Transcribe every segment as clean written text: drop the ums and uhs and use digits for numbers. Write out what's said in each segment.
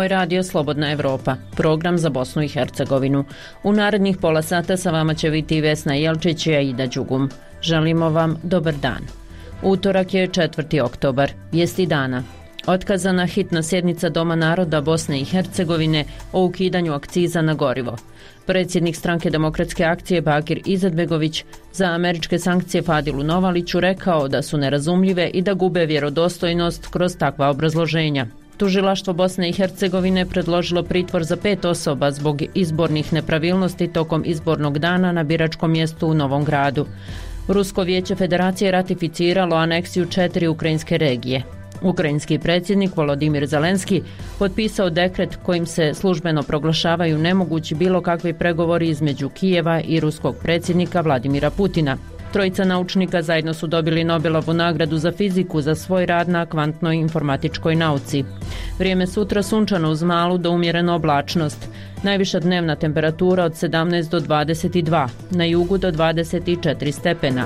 Ovo je radio Slobodna Evropa, program za Bosnu i Hercegovinu. U narednih pola sata sa vama će biti Vesna Jelčić i Aida Đugum. Želimo vam dobar dan. Utorak je 4. oktobar, vijesti dana. Otkazana hitna sjednica Doma naroda Bosne i Hercegovine o ukidanju akciza na gorivo. Predsjednik Stranke demokratske akcije Bakir Izetbegović za američke sankcije Fadilu Novaliću rekao da su nerazumljive i da gube vjerodostojnost kroz takva obrazloženja. Tužilaštvo Bosne i Hercegovine predložilo pritvor za 5 osoba zbog izbornih nepravilnosti tokom izbornog dana na biračkom mjestu u Novom Gradu. Rusko vijeće federacije ratificiralo aneksiju 4 ukrajinske regije. Ukrajinski predsjednik Volodimir Zelenski potpisao dekret kojim se službeno proglašavaju nemogući bilo kakvi pregovori između Kijeva i ruskog predsjednika Vladimira Putina. Trojica naučnika zajedno su dobili Nobelovu nagradu za fiziku za svoj rad na kvantnoj informatičkoj nauci. Vrijeme sutra sunčano uz malu do umjerenu oblačnost. Najviša dnevna temperatura od 17 do 22, na jugu do 24 stepena.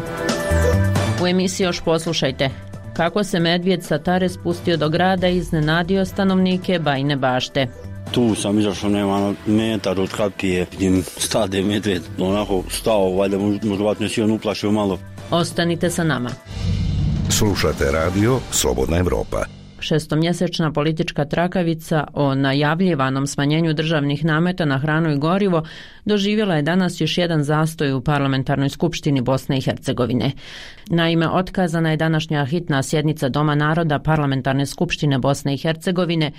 U emisiji još poslušajte kako se medvjed sa Tare spustio do grada i iznenadio stanovnike Bajine Bašte. Tu sam izašao, nema metar od kapije, vidim stade medved, onako stao, valjda možda si on uplašio malo. Ostanite sa nama. Slušate radio Slobodna Evropa. Šestomjesečna politička trakavica o najavljivanom smanjenju državnih nameta na hranu i gorivo doživjela je danas još jedan zastoj u Parlamentarnoj skupštini Bosne i Hercegovine. Naime, otkazana je današnja hitna sjednica Doma naroda Parlamentarne skupštine Bosne i Hercegovine,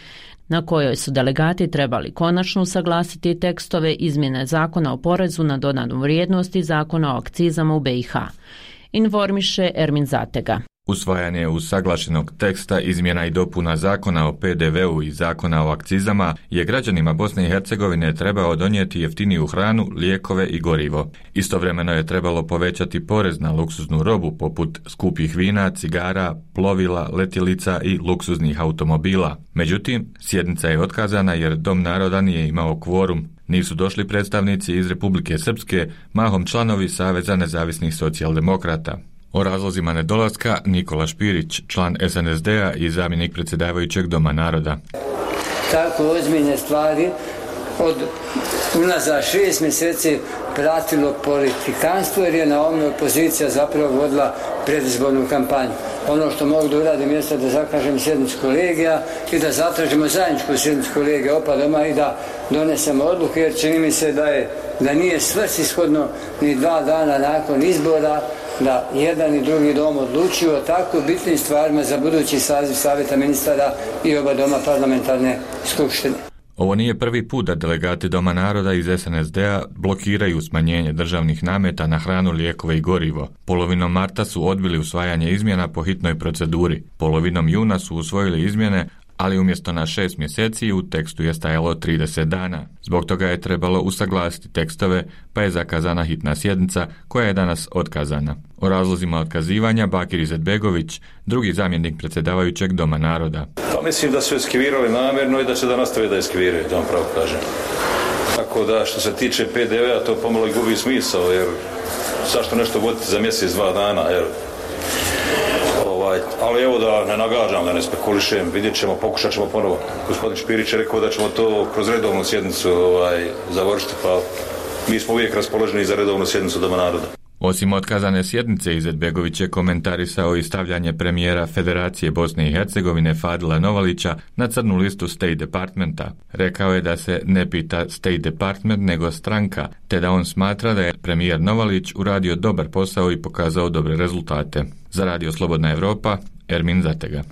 na kojoj su delegati trebali konačno usaglasiti tekstove izmjene zakona o porezu na dodanu vrijednost i zakona o akcizama u BiH. Informiše Ermin Zatega. Usvajanje usaglašenog teksta izmjena i dopuna zakona o PDV-u i zakona o akcizama je građanima Bosne i Hercegovine trebao donijeti jeftiniju hranu, lijekove i gorivo. Istovremeno je trebalo povećati porez na luksuznu robu poput skupih vina, cigara, plovila, letjelica i luksuznih automobila. Međutim, sjednica je otkazana jer Dom naroda nije imao kvorum. Nisu došli predstavnici iz Republike Srpske, mahom članovi Saveza nezavisnih socijaldemokrata. O razlozima nedolaska Nikola Špirić, član SNSD-a i zamjenik predsjedavajućeg Doma naroda. Tako ozbiljne stvari od unazad 6 mjeseci pratilo politikanstvo jer je na ovome opozicija zapravo vodila predizbornu kampanju. Ono što mogu da uradim jeste da zakažem sjednicu kolegija i da zatražimo zajedničku sjednicu kolegija opa doma i da donesemo odluke jer čini mi se da nije svrsishodno ni 2 dana nakon izbora da jedan i drugi dom odlučuju o tako bitnim stvarima za budući saziv Savjeta ministara i oba doma parlamentarne skupštine. Ovo nije prvi put da delegati Doma naroda iz SNSD-a blokiraju smanjenje državnih nameta na hranu, lijekove i gorivo. Polovinom marta su odbili usvajanje izmjena po hitnoj proceduri. Polovinom juna su usvojili izmjene, ali umjesto na 6 mjeseci u tekstu je stajalo 30 dana. Zbog toga je trebalo usaglasiti tekstove, pa je zakazana hitna sjednica koja je danas otkazana. O razlozima otkazivanja Bakir Izetbegović, drugi zamjenik predsjedavajućeg Doma naroda. Pa mislim da su eskivirali namjerno i da se da nastave da eskiviraju, da vam pravo kažem. Tako da što se tiče PDV-a to pomalo i gubi smisao, jer zašto nešto voditi za mjesec, 2 dana, jer ali evo da ne nagađam, da ne spekulišem, vidjet ćemo, pokušat ćemo ponovo. Gospodin Špirić je rekao da ćemo to kroz redovnu sjednicu završiti, pa mi smo uvijek raspoloženi za redovnu sjednicu Doma naroda. Osim otkazane sjednice, Izetbegović je komentarisao i stavljanje premijera Federacije Bosne i Hercegovine Fadila Novalića na crnu listu State Departmenta. Rekao je da se ne pita State Department nego stranka, te da on smatra da je premijer Novalić uradio dobar posao i pokazao dobre rezultate. Za radio Slobodna Evropa, Ermin Zatega.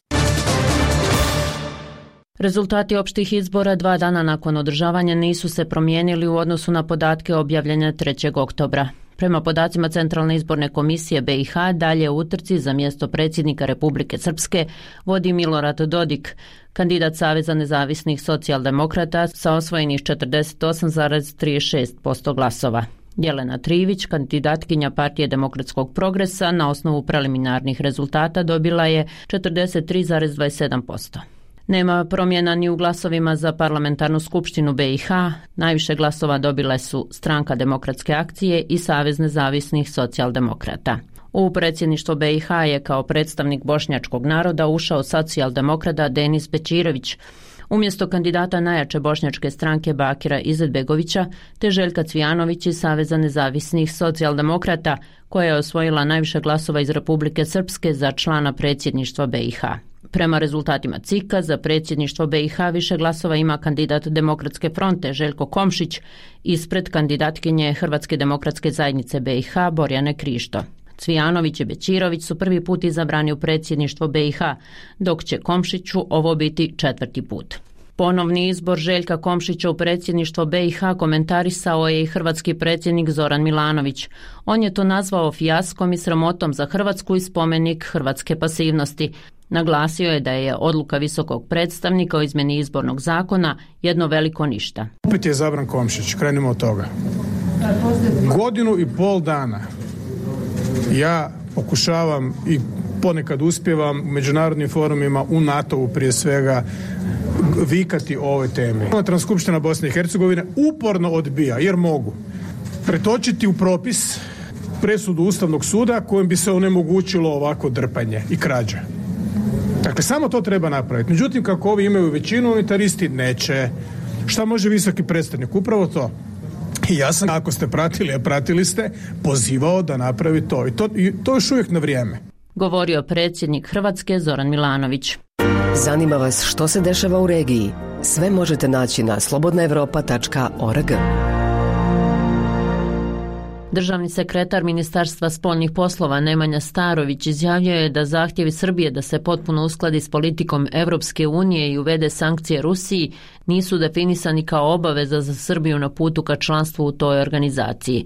Rezultati opštih izbora 2 dana nakon održavanja nisu se promijenili u odnosu na podatke objavljene 3. oktobra. Prema podacima Centralne izborne komisije BiH, dalje u utrci za mjesto predsjednika Republike Srpske vodi Milorad Dodik, kandidat Saveza nezavisnih socijaldemokrata sa osvojenih 48,36% glasova. Jelena Trivić, kandidatkinja Partije demokratskog progresa, na osnovu preliminarnih rezultata dobila je 43,27%. Nema promjena ni u glasovima za parlamentarnu skupštinu BiH. Najviše glasova dobile su Stranka demokratske akcije i Savez nezavisnih socijaldemokrata. U predsjedništvo BiH je kao predstavnik bošnjačkog naroda ušao socijaldemokrata Denis Bećirović. Umjesto kandidata najjače bošnjačke stranke Bakira Izetbegovića te Željka Cvijanović iz Saveza nezavisnih socijaldemokrata, koja je osvojila najviše glasova iz Republike Srpske za člana predsjedništva BiH. Prema rezultatima CIK-a za predsjedništvo BiH više glasova ima kandidat Demokratske fronte Željko Komšić ispred kandidatkinje Hrvatske demokratske zajednice BiH Borjane Krišto. Cvijanović i Bećirović su prvi put izabrani u predsjedništvo BiH, dok će Komšiću ovo biti 4. put. Ponovni izbor Željka Komšića u predsjedništvo BiH komentarisao je i hrvatski predsjednik Zoran Milanović. On je to nazvao fijaskom i sramotom za Hrvatsku i spomenik hrvatske pasivnosti. Naglasio je da je odluka visokog predstavnika o izmjeni izbornog zakona jedno veliko ništa. Opet je izabran Komšić, krenimo od toga. 1,5 godina ja pokušavam i ponekad uspijevam u međunarodnim forumima, u NATO-u prije svega, vikati o ovoj temi. Transskupština Bosne i Hercegovine uporno odbija, jer mogu pretočiti u propis presudu Ustavnog suda kojim bi se onemogućilo ovako drpanje i krađa. Dakle, samo to treba napraviti. Međutim, kako ovi imaju većinu, unitaristi neće. Šta može visoki predstavnik? Upravo to. I ja sam, ako ste pratili, a pratili ste, pozivao da napravi to. I to još uvijek na vrijeme. Govorio predsjednik Hrvatske Zoran Milanović. Zanima vas što se dešava u regiji? Sve možete naći na slobodnaevropa.org. Državni sekretar Ministarstva spoljnih poslova Nemanja Starović izjavio je da zahtjevi Srbije da se potpuno uskladi s politikom Europske unije i uvede sankcije Rusiji nisu definisani kao obaveza za Srbiju na putu ka članstvu u toj organizaciji.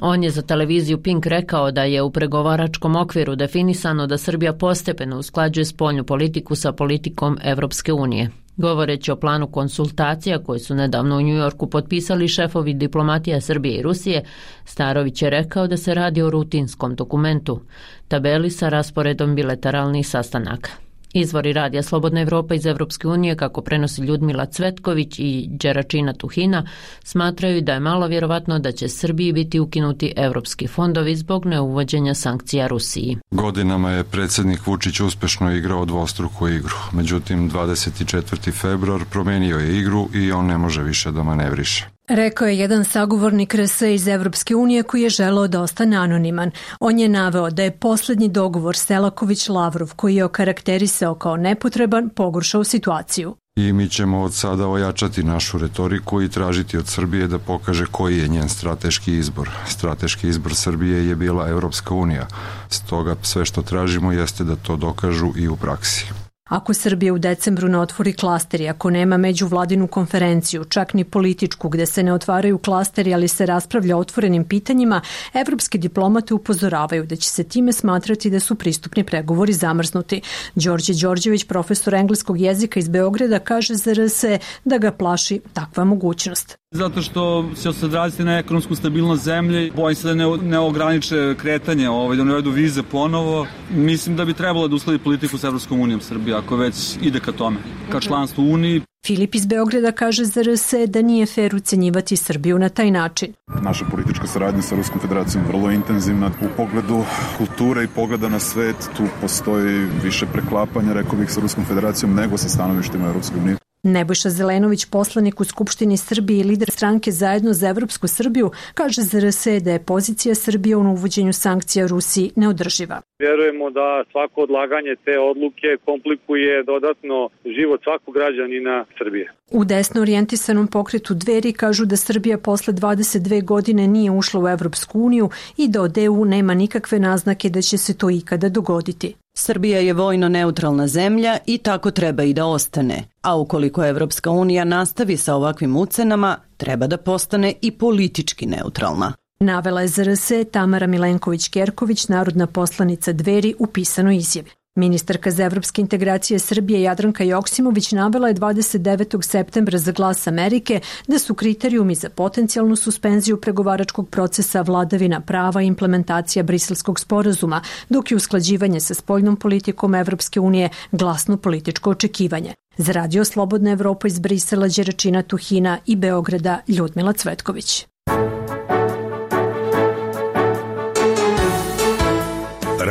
On je za televiziju Pink rekao da je u pregovaračkom okviru definisano da Srbija postepeno usklađuje spoljnu politiku sa politikom Europske unije. Govoreći o planu konsultacija koji su nedavno u New Yorku potpisali šefovi diplomatija Srbije i Rusije, Starović je rekao da se radi o rutinskom dokumentu, tabeli sa rasporedom bilateralnih sastanaka. Izvori radija Slobodna Evropa iz Evropske unije, kako prenosi Ljudmila Cvetković i Đeračina Tuhina, smatraju da je malo vjerovatno da će Srbiji biti ukinuti evropski fondovi zbog neuvođenja sankcija Rusiji. Godinama je predsjednik Vučić uspješno igrao dvostruku igru. Međutim, 24. februar promijenio je igru i on ne može više da manevriše. Rekao je jedan sagovornik RS iz Evropske unije koji je želeo da ostane anoniman. On je naveo da je posljednji dogovor Selaković-Lavrov, koji je okarakterisao kao nepotreban, pogoršao situaciju. I mi ćemo od sada ojačati našu retoriku i tražiti od Srbije da pokaže koji je njen strateški izbor. Strateški izbor Srbije je bila Evropska unija. Stoga sve što tražimo jeste da to dokažu i u praksi. Ako Srbija u decembru ne otvori klasteri, ako nema međuvladinu konferenciju, čak ni političku gdje se ne otvaraju klasteri, ali se raspravlja o otvorenim pitanjima, evropski diplomate upozoravaju da će se time smatrati da su pristupni pregovori zamrznuti. Đorđe Đorđević, profesor engleskog jezika iz Beograda, kaže za RS da ga plaši takva mogućnost. Zato što će se odraziti na ekonomsku stabilnost zemlje, bojim se da ne ograniče kretanje, da ne uvedu vize ponovo. Mislim da bi trebalo da usledi politiku s Evropskom unijom Srbije, ako već ide ka tome, ka članstvu u Uniji. Filip iz Beograda kaže za RS da nije fer ucenjivati Srbiju na taj način. Naša politička saradnja sa Ruskom federacijom je vrlo intenzivna. U pogledu kulture i pogleda na svet tu postoji više preklapanja, rekao bih, sa Ruskom federacijom nego sa stanovištima Evropske unije. Nebojša Zelenović, poslanik u Skupštini Srbije i lider stranke Zajedno za Evropsku Srbiju, kaže za RS da je pozicija Srbije u uvođenju sankcija Rusiji neodrživa. Vjerujemo da svako odlaganje te odluke komplikuje dodatno život svakog građanina Srbije. U desno orijentisanom pokretu Dveri kažu da Srbija posle 22 godine nije ušla u Evropsku uniju i da od EU nema nikakve naznake da će se to ikada dogoditi. Srbija je vojno neutralna zemlja i tako treba i da ostane. A ukoliko Evropska unija nastavi sa ovakvim ucenama, treba da postane i politički neutralna. Navela je za RS Tamara Milenković-Kerković, narodna poslanica Dveri, u pisanoj izjavi. Ministarka za evropske integracije Srbije Jadranka Joksimović navela je 29. septembra za Glas Amerike da su kriterijumi za potencijalnu suspenziju pregovaračkog procesa vladavina prava i implementacija Briselskog sporazuma, dok je usklađivanje sa spoljnom politikom Evropske unije glasno političko očekivanje. Za Radio Slobodna Evropa iz Brisela, Đeračina Tuhina i Beograda, Ljudmila Cvetković.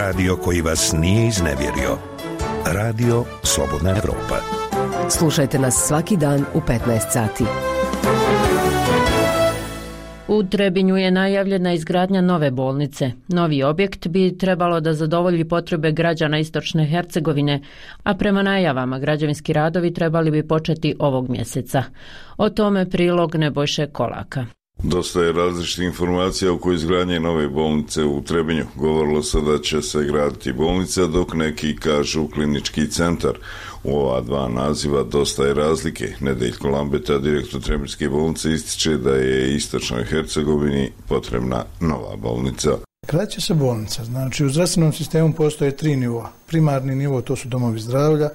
Radio koji vas nije iznevjerio. Radio Slobodna Evropa. Slušajte nas svaki dan u 15 sati. U Trebinju je najavljena izgradnja nove bolnice. Novi objekt bi trebalo da zadovolji potrebe građana Istočne Hercegovine, a prema najavama građevinski radovi trebali bi početi ovog mjeseca. O tome prilog Nebojše Kolaka. Dosta je različitih informacija oko izgradnje nove bolnice u Trebinju. Govorilo se da će se graditi bolnica, dok neki kažu klinički centar. U ova dva naziva dosta je razlike. Nedeljko Lambeta, direktor Trebinjske bolnice, ističe da je Istočnoj Hercegovini potrebna nova bolnica. Gradit će se bolnica. Znači, u zdravstvenom sistemu postoje 3 nivoa. Primarni nivo, to su domovi zdravlja,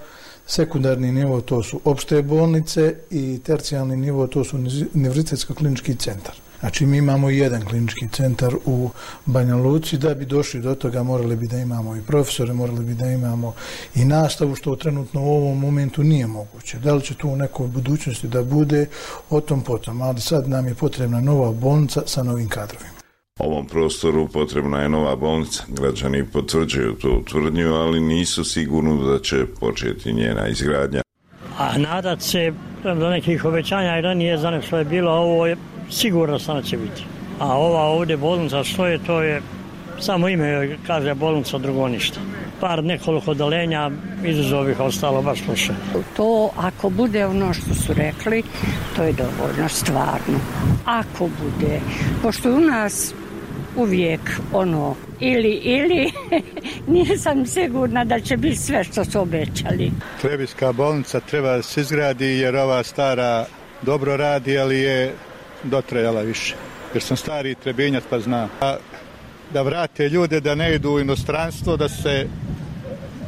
sekundarni nivo, to su opšte bolnice i tercijalni nivo, to su univerzitetsko-klinički centar. Znači, mi imamo jedan klinički centar u Banja Luci. Da bi došli do toga morali bi da imamo i profesore, morali bi da imamo i nastavu, što trenutno u ovom momentu nije moguće. Da li će tu u nekoj budućnosti da bude, o tom potom, ali sad nam je potrebna nova bolnica sa novim kadrovima. Ovom prostoru potrebna je nova bolnica. Građani potvrđuju tu tvrdnju, ali nisu sigurni da će početi njena izgradnja. A nadat se do nekih obećanja i ranije za nešto je bilo, ovo je sigurno da će biti. A ova ovdje bolnica što je, to je samo ime, kaže bolnica, drugo ništa. Nekoliko odalenja, izuzov ih ostalo baš loše. To ako bude ono što su rekli, to je dovoljno, stvarno. Ako bude, pošto u nas uvijek ono ili nisam sigurna da će biti sve što su obećali. Trebinjska bolnica treba da se izgradi jer ova stara dobro radi, ali je dotrajala više. Jer sam stari Trebinjac pa znam. Da vrate ljude, da ne idu u inostranstvo,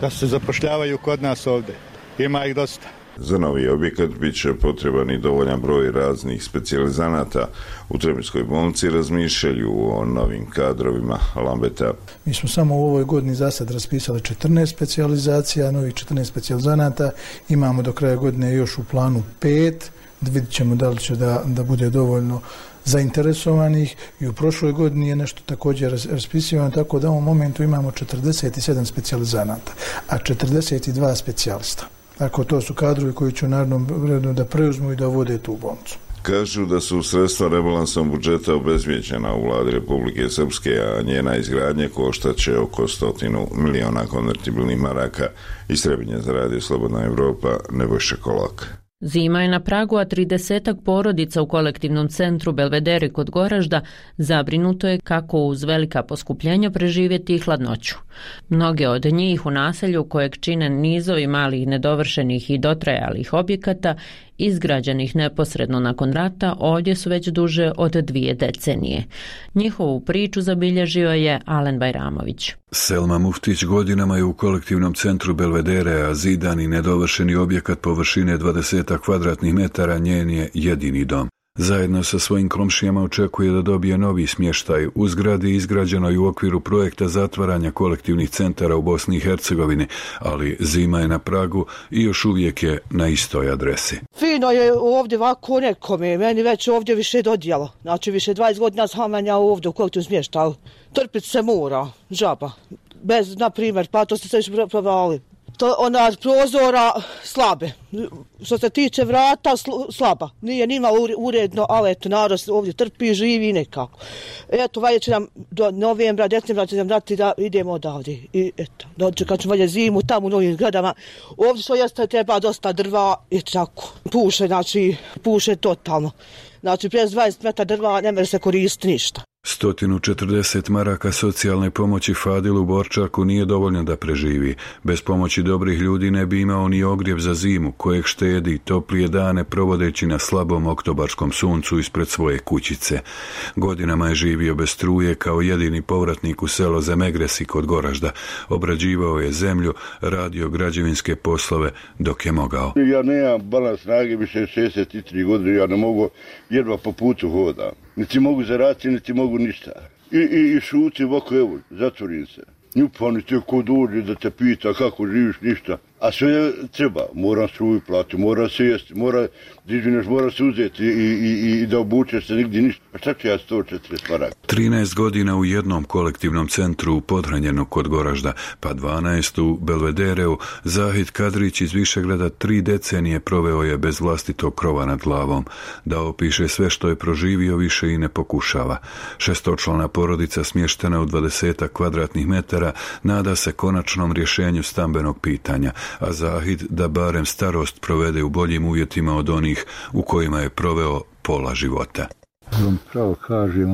da se zapošljavaju kod nas ovdje. Ima ih dosta. Za novi objekat bit će potreban i dovoljan broj raznih specijalizanata. U Trebinjskoj bolnici razmišljaju o novim kadrovima Lambeta. Mi smo samo u ovoj godini za sad raspisali 14 specijalizacija, novih 14 specijalizanata. Imamo do kraja godine još u planu 5. Vidjet ćemo da li će da bude dovoljno zainteresovanih i u prošloj godini je nešto također raspisivano, tako da u ovom momentu imamo 47 specijalizanata, a 42 specijalista. Tako to su kadrovi koji će u narednom vremenu da preuzmu i da vode tu bolnicu. Kažu da su sredstva rebalansom budžeta obezvijeđena u vladi Republike Srpske, a njena izgradnja koštaće oko 100 miliona konvertibilnih maraka. Iz Trebinja za Radio Slobodna Evropa, Nebojša Kolak. Zima je na pragu, a 30 porodica u kolektivnom centru Belvedere kod Goražda zabrinuto je kako uz velika poskupljenja preživjeti hladnoću. Mnoge od njih u naselju kojeg čine nizovi malih nedovršenih i dotrajalih objekata izgrađenih neposredno nakon rata ovdje su već duže od 2 decenije. Njihovu priču zabilježio je Alen Bajramović. Selma Muftić godinama je u kolektivnom centru Belvedere, a zidan i nedovršeni objekat površine 20 kvadratnih metara njen je jedini dom. Zajedno sa svojim komšijama očekuje da dobije novi smještaj u zgradi izgrađenoj u okviru projekta zatvaranja kolektivnih centara u Bosni i Hercegovini, ali zima je na pragu i još uvijek je na istoj adresi. Fino je ovdje ovako nekome, meni već ovdje više dodijelo. Znači više 20 godina samanja ovdje u kolektivnom smještaju. Trpiti se mora, žaba. Bez, na primjer, pa to ste se još provali. To ona prozora slabe. Što se tiče vrata slaba. Nije nima uredno, ali eto narod ovdje trpi, živi nekako. Eto, valje će nam do novembra, decembra će nam dati da idemo odavde. I eto, dočekat ćemo valje zimu tamo u novim zgradama. Ovdje što jeste treba dosta drva i tako. Puše totalno. Znači, prez 20 metara drva ne može se koristiti ništa. 140 maraka socijalne pomoći Fadilu Borčaku nije dovoljno da preživi. Bez pomoći dobrih ljudi ne bi imao ni ogrjev za zimu, kojeg štedi toplije dane provodeći na slabom oktobarskom suncu ispred svoje kućice. Godinama je živio bez struje kao jedini povratnik u selo Zemegresi kod Goražda. Obrađivao je zemlju, radio građevinske poslove dok je mogao. Ja nemam balans snage, više 63 godine, ja ne mogu, jedva po putu hodam. Niti mogu zaraditi, niti mogu ništa. I šutim ovako, evo, zatvorim se. Njupani te ko dođe da te pita kako živiš, ništa. a sve treba, moram struju plati, mora se jesti, mora se uzeti i da obučeš se nigdje ništa. A šta ću ja 140 maraka? 13 godina u jednom kolektivnom centru u Podhranjenu kod Goražda, pa 12 u Belvedereu, Zahid Kadrić iz Višegrada 3 decenije proveo je bez vlastitog krova nad glavom. Da opiše sve što je proživio više i ne pokušava. 6-člana porodica smještena u 20 kvadratnih metara nada se konačnom rješenju stambenog pitanja, a Zahid da barem starost provede u boljim uvjetima od onih u kojima je proveo pola života. Pravo kažem,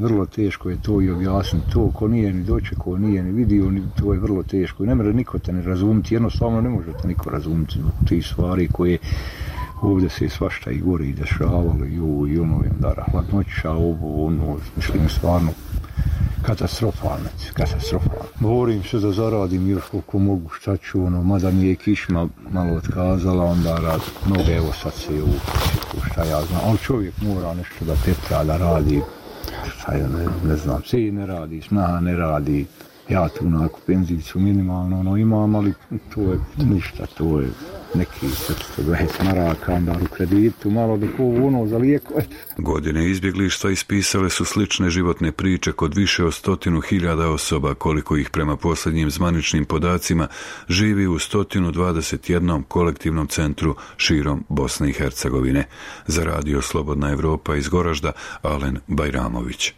vrlo teško je to i objasniti to, ko nije ni dočekao, nije ni vidio, to je vrlo teško i ne može niko te ne razumiti, jednostavno ne može te niko razumiti zbog tih stvari koje ovdje se svašta i gore i dešavalo i ovo i ono, da hladnoća, ovo, ono, mislim stvarno katastrofalno. Borim se da zaradim još koliko mogu, šta ću, mada mi je kišma malo otkazala, onda rad noge, evo sad se je šta ja znam, ali čovjek mora nešto da tetra, da radi, šta ja ne znam, sin ne radi, snaha ne radi, ja tu onako penzijicu minimalno imam, ali to je ništa, to je neki 420 maraka, onda u kreditu, malo da za lijekove. Godine izbjeglištva ispisale su slične životne priče kod više od 100.000 osoba, koliko ih prema posljednjim zvaničnim podacima živi u 121 kolektivnom centru širom Bosne i Hercegovine. Za Radio Slobodna Evropa iz Goražda, Alen Bajramović.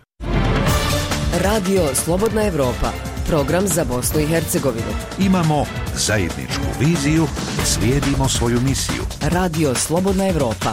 Radio Slobodna Evropa, program za Bosnu i Hercegovinu. Imamo zajedničku viziju, slijedimo svoju misiju. Radio Slobodna Evropa.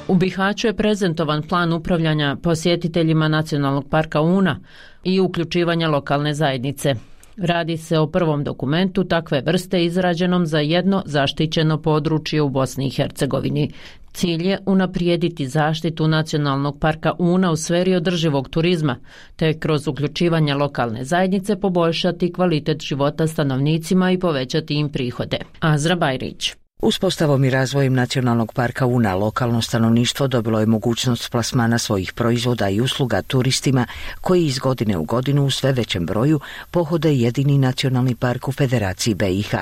U Bihaću je prezentovan plan upravljanja posjetiteljima Nacionalnog parka Una i uključivanja lokalne zajednice. Radi se o prvom dokumentu takve vrste izrađenom za jedno zaštićeno područje u Bosni i Hercegovini. Cilj je unaprijediti zaštitu Nacionalnog parka Una u sferi održivog turizma, te kroz uključivanje lokalne zajednice poboljšati kvalitet života stanovnicima i povećati im prihode. Azra Bajrić. Uspostavom i razvojem Nacionalnog parka Una lokalno stanovništvo dobilo je mogućnost plasmana svojih proizvoda i usluga turistima koji iz godine u godinu u sve većem broju pohode jedini nacionalni park u Federaciji BiH.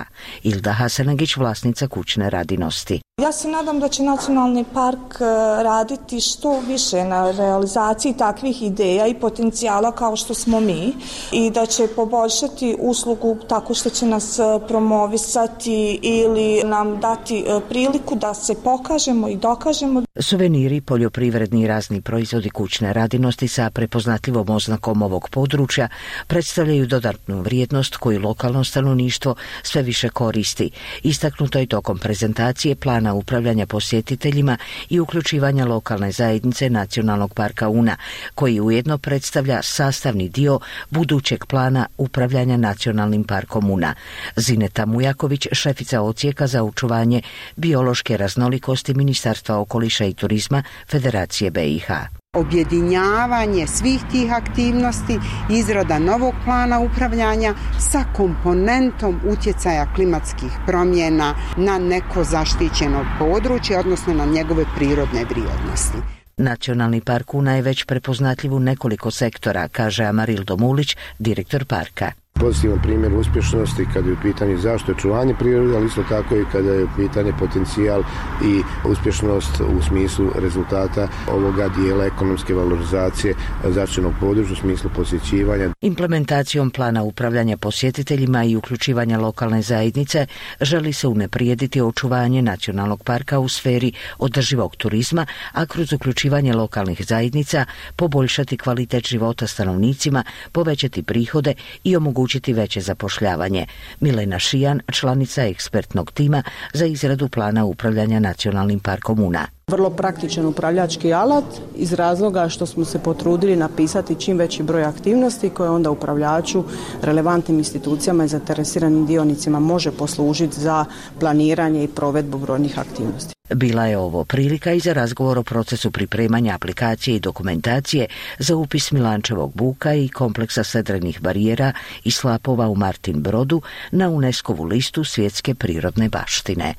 Ilda Hasanagić, vlasnica kućne radinosti. Ja se nadam da će Nacionalni park raditi što više na realizaciji takvih ideja i potencijala kao što smo mi i da će poboljšati uslugu tako što će nas promovisati ili nam dati priliku da se pokažemo i dokažemo. Suveniri, poljoprivredni i razni proizvodi kućne radinosti sa prepoznatljivom oznakom ovog područja predstavljaju dodatnu vrijednost koju lokalno stanovništvo sve više koristi. Istaknuto je tokom prezentacije plana upravljanja posjetiteljima i uključivanja lokalne zajednice Nacionalnog parka Una, koji ujedno predstavlja sastavni dio budućeg plana upravljanja Nacionalnim parkom Una. Zineta Mujaković, šefica odsjeka za očuvanje biološke raznolikosti Ministarstva okoliša i turizma Federacije BiH. Objedinjavanje svih tih aktivnosti, izrada novog plana upravljanja sa komponentom utjecaja klimatskih promjena na neko zaštićeno područje, odnosno na njegove prirodne vrijednosti. Nacionalni park Una je već prepoznatljiv u nekoliko sektora, kaže Amarildo Mulić, direktor parka. Pozitivan primjer uspješnosti kada je u pitanju zaštite očuvanje prirode, ali isto tako i kada je u pitanju potencijal i uspješnost u smislu rezultata ovoga dijela ekonomske valorizacije zaštićenog područja u smislu posjećivanja. Implementacijom plana upravljanja posjetiteljima i uključivanja lokalne zajednice želi se unaprijediti očuvanje nacionalnog parka u sferi održivog turizma, a kroz uključivanje lokalnih zajednica poboljšati kvalitet života stanovnicima, povećati prihode i omogućiti veće zapošljavanje. Milena Šijan, članica ekspertnog tima za izradu plana upravljanja Nacionalnim parkom Una. Vrlo praktičan upravljački alat iz razloga što smo se potrudili napisati čim veći broj aktivnosti koje onda upravljaču, relevantnim institucijama i zainteresiranim dionicima može poslužiti za planiranje i provedbu brojnih aktivnosti. Bila je ovo prilika i za razgovor o procesu pripremanja aplikacije i dokumentacije za upis Milančevog buka i kompleksa sedrenih barijera i slapova u Martin Brodu na UNESCO-vu listu svjetske prirodne baštine.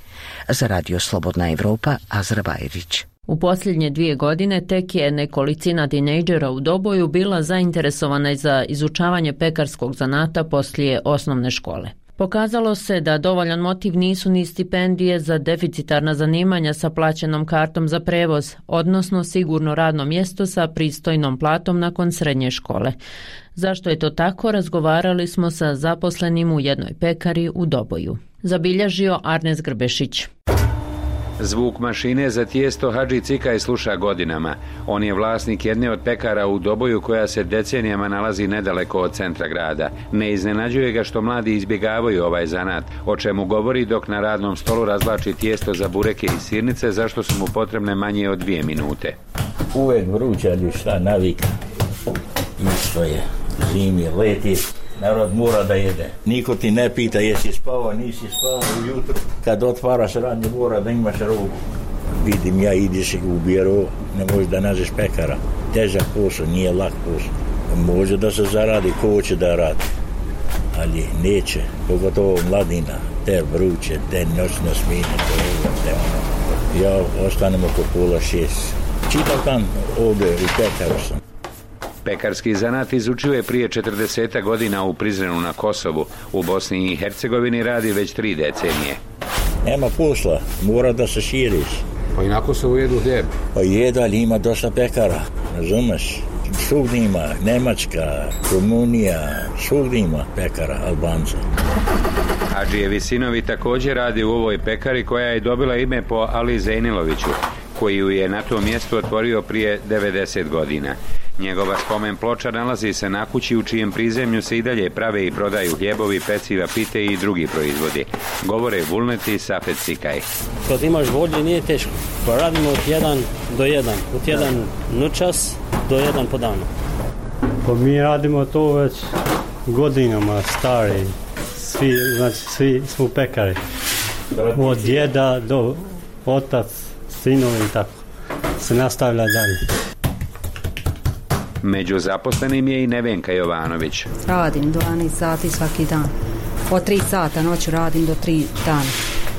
Za Radio Slobodna Evropa, Azra Bajrić. U posljednje 2 godine tek je nekolicina tinejdžera u Doboju bila zainteresovana za izučavanje pekarskog zanata poslije osnovne škole. Pokazalo se da dovoljan motiv nisu ni stipendije za deficitarna zanimanja sa plaćenom kartom za prevoz, odnosno sigurno radno mjesto sa pristojnom platom nakon srednje škole. Zašto je to tako, razgovarali smo sa zaposlenim u jednoj pekari u Doboju. Zabilježio Arnes Grbešić. Zvuk mašine za tijesto Hadži Cikaj sluša godinama. On je vlasnik jedne od pekara u Doboju koja se decenijama nalazi nedaleko od centra grada. Ne iznenađuje ga što mladi izbjegavaju ovaj zanat, o čemu govori dok na radnom stolu razvlači tijesto za bureke i sirnice, zašto su mu potrebne manje od 2 minute. Uvijek vruće, ali šta, navika. Isto je, zimi, leti. Narod mora da jede. Niko ti ne pita jesi spavao, nisi spavao ujutro. Kad otvaraš radnje mora da imaš robu. Vidim ja, ideš u biro, ne možeš da nađeš pekara. Težak posao, nije lak posao. Može da se zaradi, ko hoće da radi. Ali neće, pogotovo mladina. Te vruće, te noćne smine, te ono. Ja ostanem oko 5:30. Čitav dan ovdje u pekaru sam. Pekarski zanat izučio je prije 40 godina u Prizrenu na Kosovu. U Bosni i Hercegovini radi već 3 decenije. Nema posla, mora da se širiš. Pa inako se ujedu hljeb. Pa jedu, ali ima dosta pekara, razumeš? Svugdje ima, Nemačka, Rumunija, svugdje ima pekara, Albanca. Hadžijevi sinovi također radi u ovoj pekari koja je dobila ime po Ali Zejniloviću, koji ju je na tom mjestu otvorio prije 90 godina. Njegova spomen ploča nalazi se na kući u čijem prizemlju se i dalje prave i prodaju hljebovi, peciva, pite i drugi proizvodi. Govore Vulneti i Safet Cikaj. Kad imaš volje nije teško. Pa radimo od 1 do 1. Od 1 noćas do 1 po danu. Pa mi radimo to već godinama, stari. Svi smo pekari. Od djeda do otac, sinovi i tako. Se nastavlja dalje. Među zaposlenim je i Nevenka Jovanović. Radim 12 sati svaki dan. Od 3 sata noću radim do 3 dana.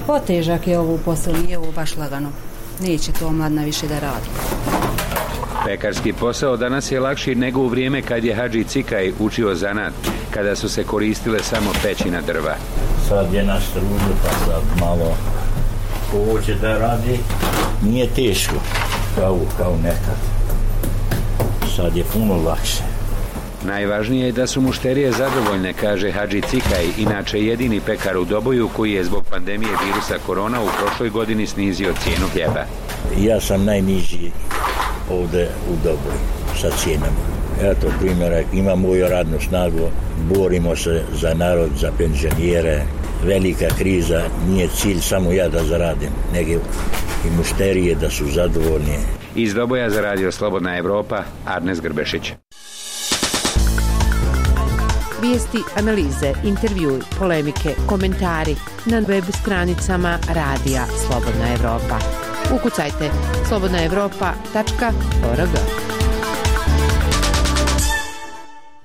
Otežak je ovo posao, nije ovo baš lagano. Neće to mladna više da radi. Pekarski posao danas je lakši nego u vrijeme kad je Hadži Cikaj učio zanat, kada su se koristile samo pećina drva. Sad je na struju, pa sad malo ko hoće da radi, nije teško kao nekad. Sad je puno lakše. Najvažnije je da su mušterije zadovoljne, kaže Hadži Cikaj, inače jedini pekar u Doboju koji je zbog pandemije virusa korona u prošloj godini snizio cijenu hljeba. Ja sam najniži ovdje u Doboju sa cijenama. Eto primjera, imam moju radnu snagu, borimo se za narod, za penzionere. Velika kriza, nije cilj samo ja da zaradim, nego i mušterije da su zadovoljni. Iz Doboja za radio Slobodna Evropa, Arnes Grbešić. Vijesti, analize, intervjui, polemike, komentari na web stranicama radija Slobodna Evropa. Ukucajte slobodnaevropa.org.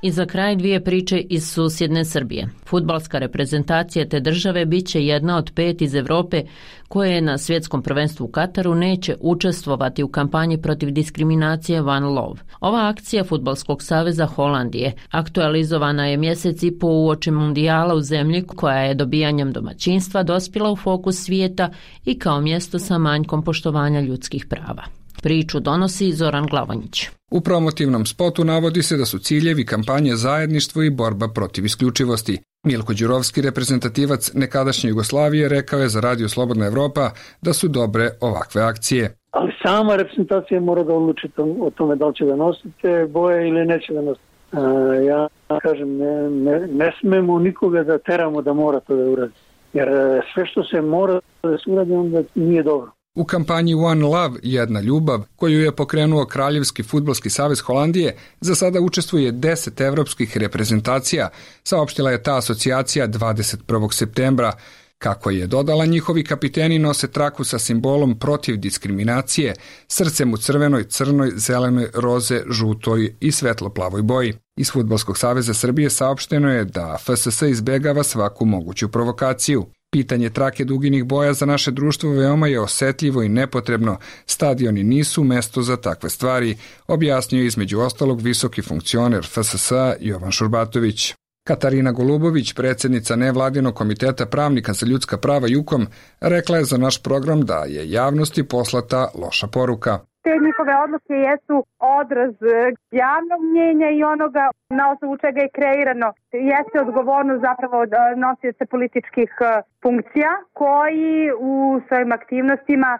I za kraj 2 priče iz susjedne Srbije. Fudbalska reprezentacija te države bit će jedna od 5 iz Evrope koje na svjetskom prvenstvu u Kataru neće učestvovati u kampanji protiv diskriminacije One Love. Ova akcija Fudbalskog saveza Holandije aktualizovana je mjesec i po uoči mundijala u zemlji koja je dobijanjem domaćinstva dospjela u fokus svijeta i kao mjesto sa manjkom poštovanja ljudskih prava. Priču donosi Zoran Glavonjić. U promotivnom spotu navodi se da su ciljevi kampanje zajedništvo i borba protiv isključivosti. Milko Đurovski, reprezentativac nekadašnje Jugoslavije, rekao je za radio Slobodna Evropa da su dobre ovakve akcije. Ali sama reprezentacija mora da odluči o tome da li će da nosite boje ili neće da nosite. Ja kažem, ne smemo nikoga da teramo da mora to da uradi. Jer sve što se mora da se uradi, onda nije dobro. U kampanji One Love, jedna ljubav, koju je pokrenuo Kraljevski fudbalski savez Holandije, za sada učestvuje 10 evropskih reprezentacija, saopštila je ta asocijacija 21. septembra. Kako je dodala, njihovi kapiteni nose traku sa simbolom protiv diskriminacije, srcem u crvenoj, crnoj, zelenoj, roze, žutoj i svetlo-plavoj boji. Iz Fudbalskog saveza Srbije saopšteno je da FSS izbjegava svaku moguću provokaciju. Pitanje trake duginih boja za naše društvo veoma je osjetljivo i nepotrebno. Stadioni nisu mesto za takve stvari, objasnio između ostalog visoki funkcioner FSS Jovan Šurbatović. Katarina Golubović, predsjednica nevladinog komiteta pravnika za ljudska prava JUKOM, rekla je za naš program da je javnosti poslata loša poruka. Te njihove odluke jesu odraz javnog mnjenja i onoga na osnovu čega je kreirano. Jeste odgovornost zapravo nosioca političkih funkcija koji u svojim aktivnostima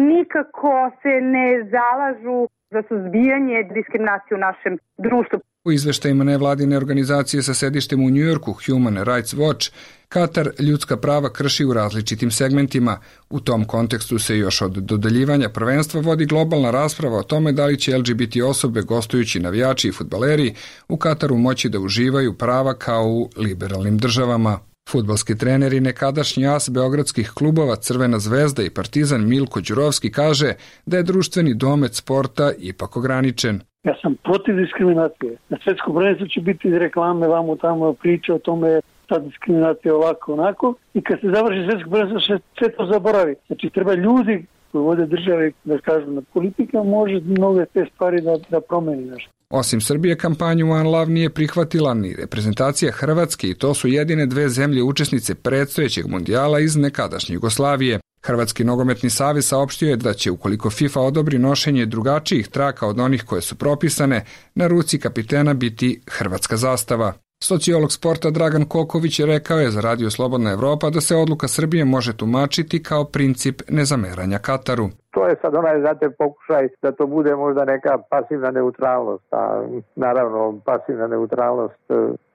nikako se ne zalažu za suzbijanje diskriminacije u našem društvu. U izveštajima nevladine organizacije sa sedištem u Njujorku, Human Rights Watch, Katar ljudska prava krši u različitim segmentima. U tom kontekstu se još od dodeljivanja prvenstva vodi globalna rasprava o tome da li će LGBT osobe, gostujući navijači i fudbaleri, u Kataru moći da uživaju prava kao u liberalnim državama. Fudbalski trener i nekadašnji as beogradskih klubova Crvena zvezda i Partizan Milko Đurovski kaže da je društveni domet sporta ipak ograničen. Ja sam protiv diskriminacije. Na svjetskom prvenstvu će biti reklame, vamo tamo priče o tome, ta diskriminacija ovako, onako. I kad se završi svjetsko prvenstvo, sve to zaboravi. Znači, treba ljudi koji vode države, da kažu, na politika može mnoge te stvari da promeni nešto. Osim Srbije, kampanju One Love nije prihvatila ni reprezentacija Hrvatske i to su jedine dve zemlje učesnice predstojećeg mundijala iz nekadašnje Jugoslavije. Hrvatski nogometni savez saopštio je da će, ukoliko FIFA odobri nošenje drugačijih traka od onih koje su propisane, na ruci kapitena biti hrvatska zastava. Sociolog sporta Dragan Koković rekao je za Radio Slobodna Evropa da se odluka Srbije može tumačiti kao princip nezameranja Kataru. To je sad znate, pokušaj da to bude možda neka pasivna neutralnost, a naravno pasivna neutralnost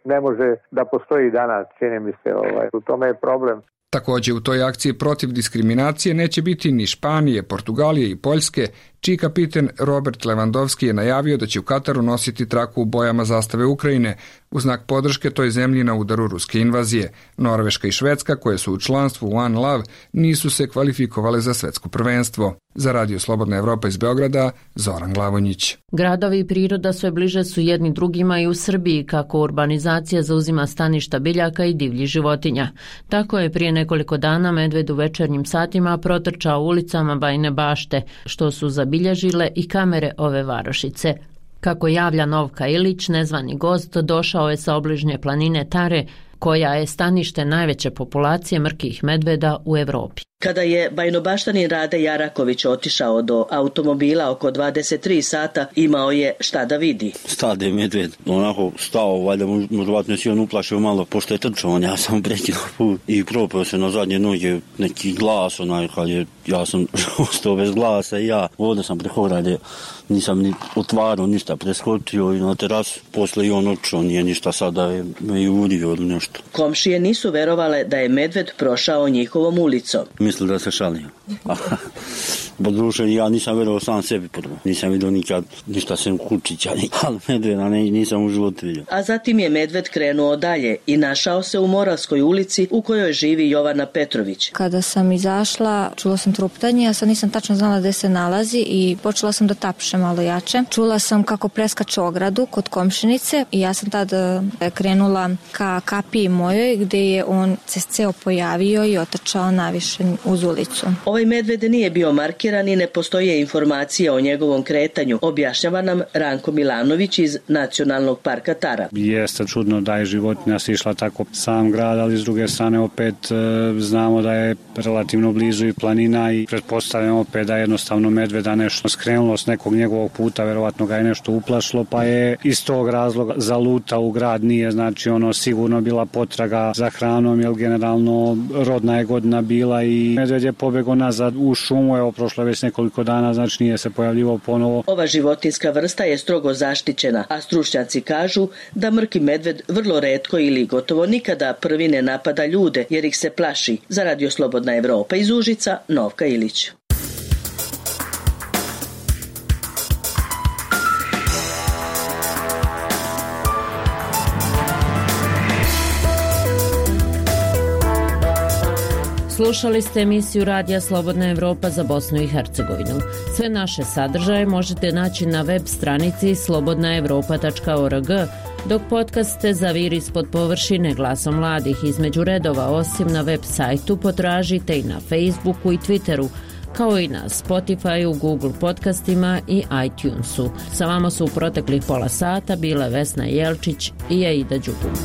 ne može da postoji danas, čini mi se, u tome je problem. Također u toj akciji protiv diskriminacije neće biti ni Španije, Portugalije i Poljske, čiji kapiten Robert Lewandowski je najavio da će u Kataru nositi traku u bojama zastave Ukrajine, u znak podrške toj zemlji na udaru ruske invazije. Norveška i Švedska, koje su u članstvu One Love, nisu se kvalifikovale za svetsko prvenstvo. Za Radio Slobodna Evropa iz Beograda, Zoran Glavonjić. Gradovi i priroda sve bliže su jedni drugima i u Srbiji, kako urbanizacija zauzima staništa biljaka i divljih životinja. Tako je prije nekoliko dana medved u večernjim satima protrčao ulicama Bajine Bašte, što su zabilježile i kamere ove varošice. Kako javlja Novka Ilić, nezvani gost došao je sa obližnje planine Tare, koja je stanište najveće populacije mrkih medveda u Evropi. Kada je bajnobaštanin Rade Jaraković otišao do automobila oko 23 sata, imao je šta da vidi. Stade medved, onako stao, valjda možda si on uplašio malo, pošto je trčao, ja sam prekinuo put i propao se na zadnje noge, neki glas, kad je, ja sam ostao bez glasa i ja ovdje sam preko rade, nisam ni otvarao ništa, preskočio i na terasu, posle i on otišao, nije ništa sada me i udio ili nešto. Komšije nisu verovale da je medved prošao njihovom ulicom. Mislio da se šalio. Bo duše, ja nisam verovao sam sebi prvo. Nisam vidio nikad ništa sem kučića, ali medveda nisam u životu vidio. A zatim je medved krenuo dalje i našao se u Moravskoj ulici u kojoj živi Jovana Petrović. Kada sam izašla, čula sam truptanje, ja sad nisam tačno znala gde se nalazi i počela sam da tapšem malo jače. Čula sam kako preskače ogradu kod komšinice i ja sam tad krenula ka kapiji mojoj gde je on se ceo pojavio i otrčao naviše uz ulicu. Ovaj medved nije bio markiran i ne postoje informacije o njegovom kretanju, objašnjava nam Ranko Milanović iz Nacionalnog parka Tara. Jeste čudno da je životinja sišla tako sam grad, ali s druge strane opet znamo da je relativno blizu i planina i pretpostavljamo opet da je jednostavno medveda nešto skrenulo s nekog njegovog puta, verovatno ga je nešto uplašilo, pa je iz tog razloga zalutao u grad, nije znači sigurno bila potraga za hranom, jer generalno rodna je godina bila i medved je pobegao nazad u šumu, evo prošlo je već nekoliko dana, znači nije se pojavljivao ponovo. Ova životinska vrsta je strogo zaštićena, a stručnjaci kažu da mrki medved vrlo retko ili gotovo nikada prvi ne napada ljude jer ih se plaši. Za Radio Slobodna Evropa iz Užica, Novka Ilić. Slušali ste emisiju Radija Slobodna Evropa za Bosnu i Hercegovinu. Sve naše sadržaje možete naći na web stranici slobodnaevropa.org, dok podcaste Zavir ispod površine glasom mladih između redova osim na web sajtu potražite i na Facebooku i Twitteru, kao i na Spotifyu, Google podcastima i iTunesu. Sa vama su u proteklih pola sata bile Vesna Jelčić i Aida Đugum.